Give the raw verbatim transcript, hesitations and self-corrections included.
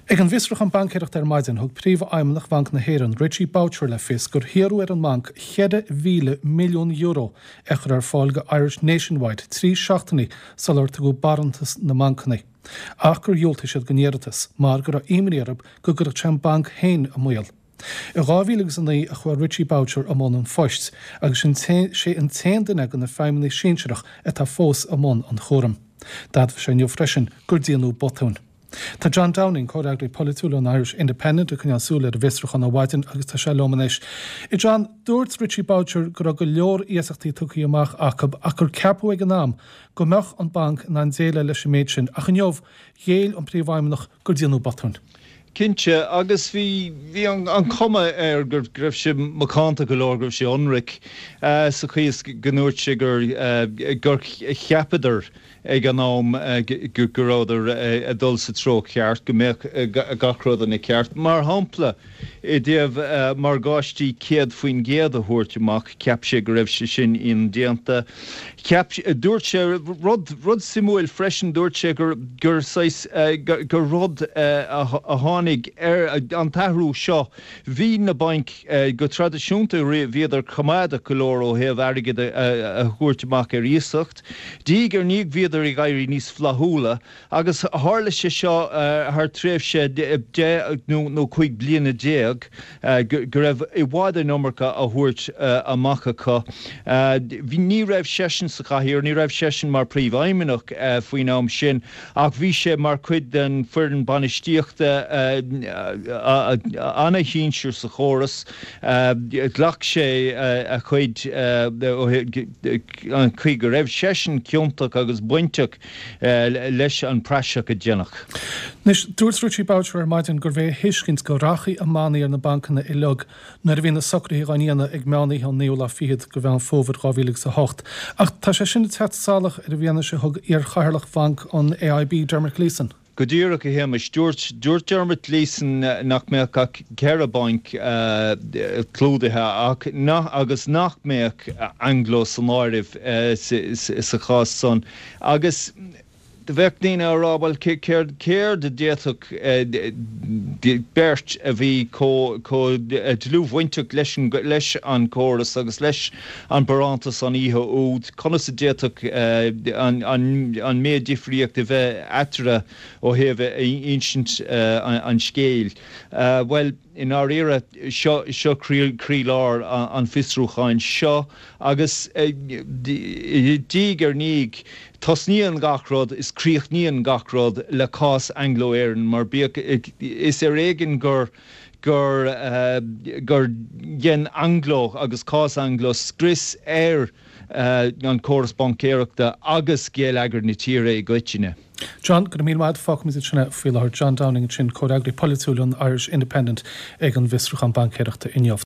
Ag an bhfiosrúchán baincéireachta ar maidin thug príomhfheidhmeannach Bhanc na hÉireann Richie Boucher le fios gur hiarradh ar an mbanc ceithre mhíle milliún euro a chur ar fáil go Irish Nationwide trí seachtainí sular tugadh barántas na mbancanna. Ach gur dhiúltaigh siad don iarratas, mar go raibh imní orthu go gcuirfeadh sé an banc féin i mbaol. I dhá mhíle agus a naoi a chuaigh Richie Boucher i mbun an phoist, agus sin sé an t-aon duine de na feidhmeannaigh sinsearach atá fós i mbun an chúraim. D'admhaigh sé inniu freisin gur déanadh botún. Tá John Downing comhfhreagraí polaitiúil an Irish Independent ag coinneáil súil ar an bhfiosrúchán ó mhaidin agus tá sé liom anois. I John, dúirt Richie Boucher go raibh go leor iasachtaí tugtha amach acu ach gur ceapadh ag an am go mbeadh an banc in ann déileáil leis an méid sin ach inniu ghéill an príomhfheidhmeannach gur déanadh botún. Cinnte agus bhí bhí an, an chuma air go raibh sé macánta go leor go raibh sé ionraic uh, sa chaoi is go ndúirt sé gur uh, gur cheapadar ag an am uh, go rabhadar uh, ag dul sa treo ceart go mbeadh uh, gach rud ina cheart. Mar shampla i dtaobh uh, morgáistí céad faoin gcéad a thabhairt amach cheap sé go raibh sé sin indéanta. Cheap dúirt sé rud rud suimiúil freisin dúirt sé gur gur uh, gur rud uh, a tháinig ar an t-athrú seo bhí na bainc uh, go traidisiúnta bhíodar coimeádach go leor ó thaobh airgead a thabhairt amach ar iasacht. Diaidh ar ndiaidh bhíodar ag éirí níos flaithiúla agus tharla sé seo uh, thar tréimhse deich nó nó cúig bliana déag uh, go raibh i bhfad an iomarca á thabhairt uh, amach acu. Uh, bhí ní raibh seisean sa chathaoir, ní raibh seisean mar príomhfheidhmeannach uh, faoin am sin ach bhí sé mar chuid den foireann bainistíochta uh, uh, an-shinsir sa chóras uh, ghlac sé uh, a chuid uh, an chaoi go raibh seisean ciontach agus bainteach uh, leis an praiseach a déanadh. Anois dúirt Richie Boucher ar maidin gurbh é a thuiscint go rachaidh na bannaí ar na bancanna uilig nuair a bhí na socruithe á ndéanamh ag meánoíche an naoú lá fichead de Mheán Fómhair dhá mhíle agus a hocht. Ach tá sé sin ag teacht salach ar an bhfianaise a thug iarchathaoirleach bhanc an AIB Dermot Gleeson. Go díreach a Shéamais dúirt dúirt Dermot Gleeson nach mbeadh ach ceithre banc uh, clúdaithe ach nach agus nach mbeadh Anglo san áireamh uh, sa chás san. Agus de bheith daoine á rá bhuel céard céard a d'fhéadfadh beirt a bhí chomh dlúthbhainteach leis leis an córas agus leis an barántas an oíche úd, conas a d'fhéadfadh an méid difríocht a bheith eatarthu ó thaobh insint an scéil. Well i ndáiríre seo seo croílár an fiosrúcháin seo agus diaidh ar ndiaidh tosnaíonn gach rud is críochnaíonn gach rud le cás Anglo-Éireann mar bíodh is ar éigean gur gur uh, gur dhein Anglo agus cás Anglo scrios ar uh, an córas baincéireachta agus geilleagar na tíre i gcoitinne. John go raibh míle maith fágfaimid sin faoi láthair John Downing sin comhfhreagraí polaitiúil an Irish Independent ag an bhfiosrúchán baincéireachta inniu.